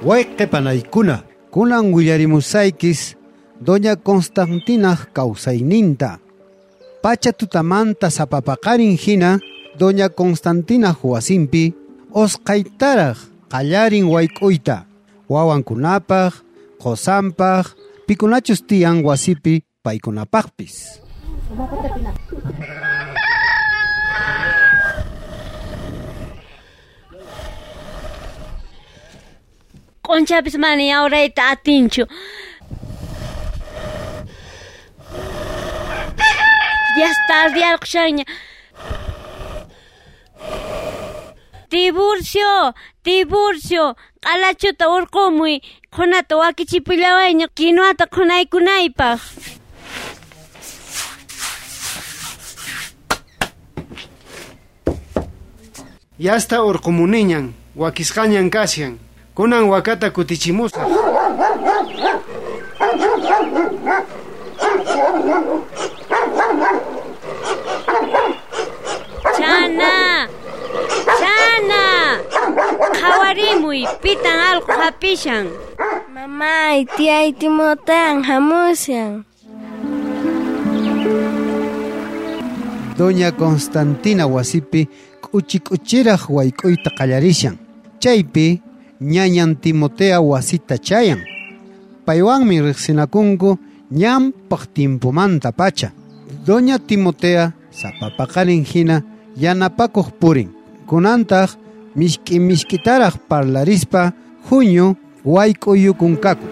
Wayqe panaykuna, kunan willarimusaykis Doña Constantinaj kawsayninta. Pacha tutamanta sapapaqarin hina Doña Constantinaj wasinpi osqaytaraj qallarin wayk'uyta, wawankunapaj, qosanpaj, pikunachus tiyan wasipi paykunapaqpis. Q'unchapis mana yawrayta atinchu. Ya tardiyarqushanña. Tiburcio, Tiburcio, q'alachuta urqumuy, qhunata wakichipullawayña kinuata qhunaykunaypaq. Yasta urqumuniñan, wakisqañan kashan. Kunan wakata kutichimusaq. Chana, chana, qhawarimuy, pitan allqu hapishan. Mamay, tiyay Timotean hamushan. Doña Constantina wasipi k'uchi k'uchiraj wayk'uyta qallarishan. Chaypi ñañan Timotea wasita chayan. Paywanmi riqsinakunku ñampaq tiempomanta pacha. Doña Timotea sapapaqarin hina yanapakuq purin. Kunantaq mishk'i mishk'itaraq parlarispa huñu wayk'uyukunkaku.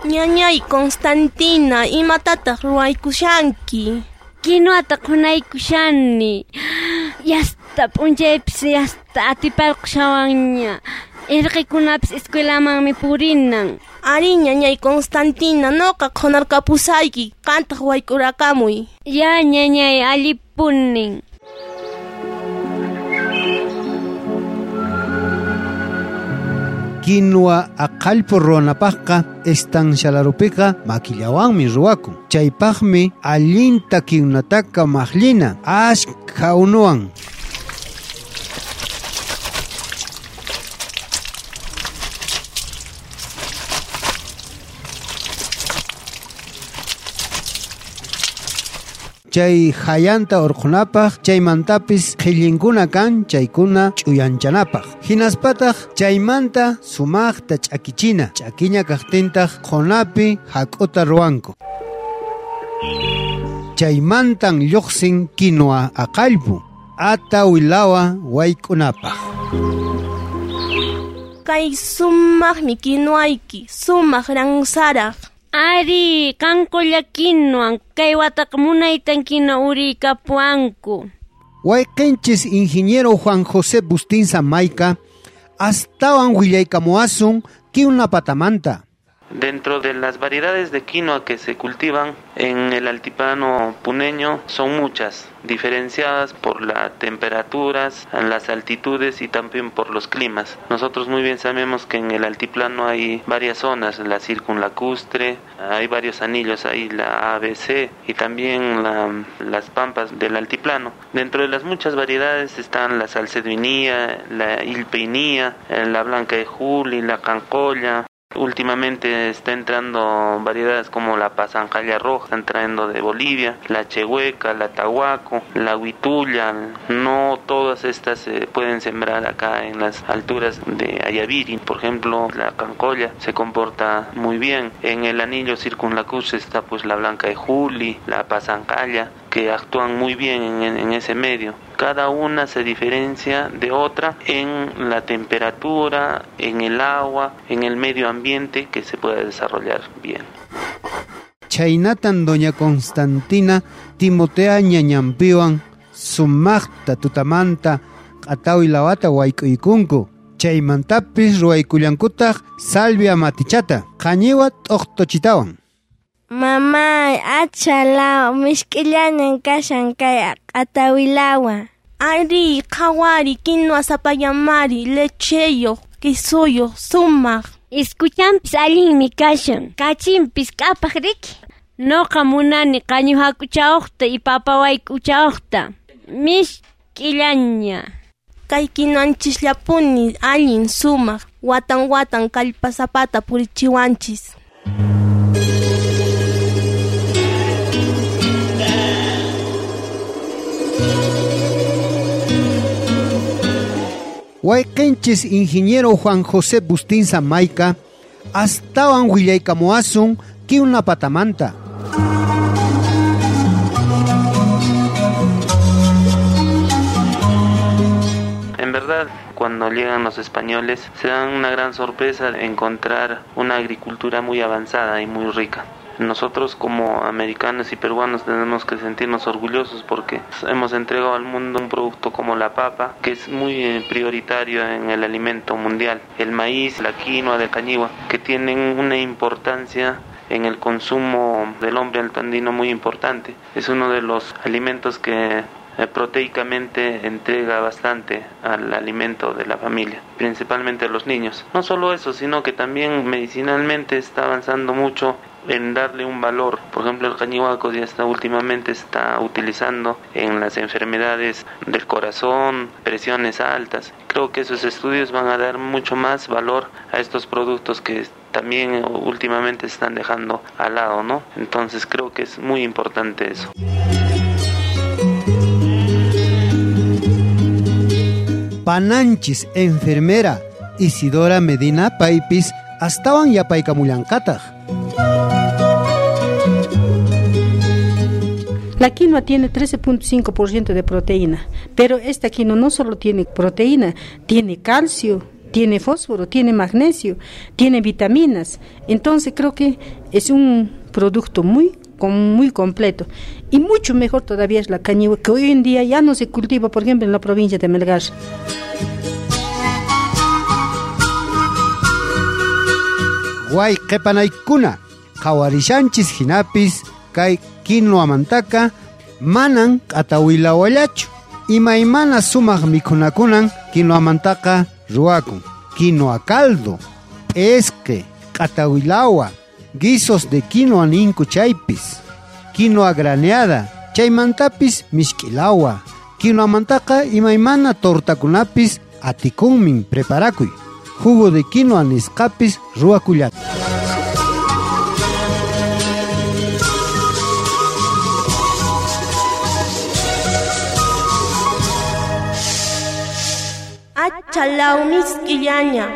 Ñañay Constantina, imatataq ruwaykushanki? Kinuata qhunaykushani. Yasta p'unchaypis yasta atiparqushawanña. Irqikunapis escuelamanmi purinan. Ari ñañay Constantina, noqa qhunarkapusayki, qantaq wayk'urakamuy. Ya ñañay, allipunin. Quinua aqallpu ruwanapaqqa estancialarupiqa makillawanmi ruwakun. Chaypaqmi allinta kiwnataka maqllina ashkha unuwan. Chay hayanta urqunapaq, chaymantapis qhillinkuna kan chaykuna ch'uyanchanapaq. Hinaspataq chaymanta sumaqta ch'akichina, ch'akiña kaqtintaq qhunapi hak'uta ruwanku. Chaymantan lluqsin quinua aqallpu, ata wilawa wayk'unapaq. Kay sumaqmi kinuayki, sumaq ransaraq. Ari, qanqulla kinuan, kay wataqa munaytan quinua uriykapuwanku. Wayqinchis ingeniero Juan José Bustinza Maica astawan willaykamuwasun kiwna patamanta. Dentro de las variedades de quinoa que se cultivan en el altiplano puneño son muchas, diferenciadas por las temperaturas, las altitudes y también por los climas. Nosotros muy bien sabemos que en el altiplano hay varias zonas, la circunlacustre, hay varios anillos, hay la ABC y también las pampas del altiplano. Dentro de las muchas variedades están la salceduinía, la ilpeinía, la blanca de Juli, la cancolla. Últimamente está entrando variedades como la pasanjalla roja, están trayendo de Bolivia, la chehueca, la tahuaco, la huitulla. No todas estas se pueden sembrar acá en las alturas de Ayaviri. Por ejemplo, la cancolla se comporta muy bien. En el anillo circunlacustre está pues la blanca de Juli, la pasanjalla, que actúan muy bien en ese medio. Cada una se diferencia de otra en la temperatura, en el agua, en el medio ambiente que se pueda desarrollar bien. Chaynatan Doña Constantina Timotea ñañampiwan sumaqta tutamanta q'atawi lawata wayk'uykunku. Chaymantapis ruwaykullankutaq salvia matichata, qañiwa t'uqtuchitawan. Mamay, achala, mishk'illañan kashan kay q'atawilawa. Ari, qhawari, quinua sapallamari, lecheyuq, quesuyuq, sumaq. Iskuchanpis allinmi kashan, kachinpis k'apaq riki. Noqa munani qañu hak'uchawqta y papa wayk'uchawqta. Mishk'illaña. Kay quinwanchisllapuni allin sumaq, watan watan kallpasapata purichiwanchis. Wayqinchis ingeniero Juan José Bustinza Maica astawan willaykamuwasun kiwna patamanta. En verdad, cuando llegan los españoles, se dan una gran sorpresa de encontrar una agricultura muy avanzada y muy rica. Nosotros como americanos y peruanos tenemos que sentirnos orgullosos porque hemos entregado al mundo un producto como la papa, que es muy prioritario en el alimento mundial. El maíz, la quinoa, la cañihua, que tienen una importancia en el consumo del hombre altandino muy importante. Es uno de los alimentos que proteicamente entrega bastante al alimento de la familia, principalmente a los niños. No solo eso, sino que también medicinalmente está avanzando mucho en darle un valor. Por ejemplo, el cañihuaco ya está últimamente está utilizando en las enfermedades del corazón, presiones altas. Creo que esos estudios van a dar mucho más valor a estos productos que también últimamente se están dejando al lado, ¿no? Entonces creo que es muy importante eso. Pananchis enfermera Isidora Medina paypis astawan yapaykamullanqataq. La quinoa tiene 13.5% de proteína, pero esta quinoa no solo tiene proteína, tiene calcio, tiene fósforo, tiene magnesio, tiene vitaminas. Entonces creo que es un producto muy completo. Y mucho mejor todavía es la cañihua, que hoy en día ya no se cultiva, por ejemplo, en la provincia de Melgar. Wayqipanaykuna, qhawarishanchis hinapis kay quinoamantaka manan q'atawilawallachu. Imaymana sumaq mikhunakunan quinoamantaqa ruwakun. Quinoa caldo, p'esqe, q'atawilawa, guisos de quinoa ninku chaypis, quinoa graneada, chaymantapis mishk'ilawa. Quinoamantaqa imaymana tortakunapis atikunmin preparakuy. Jugo de quinoa nisqapis ruwakullata. Achalaw misk'illaña.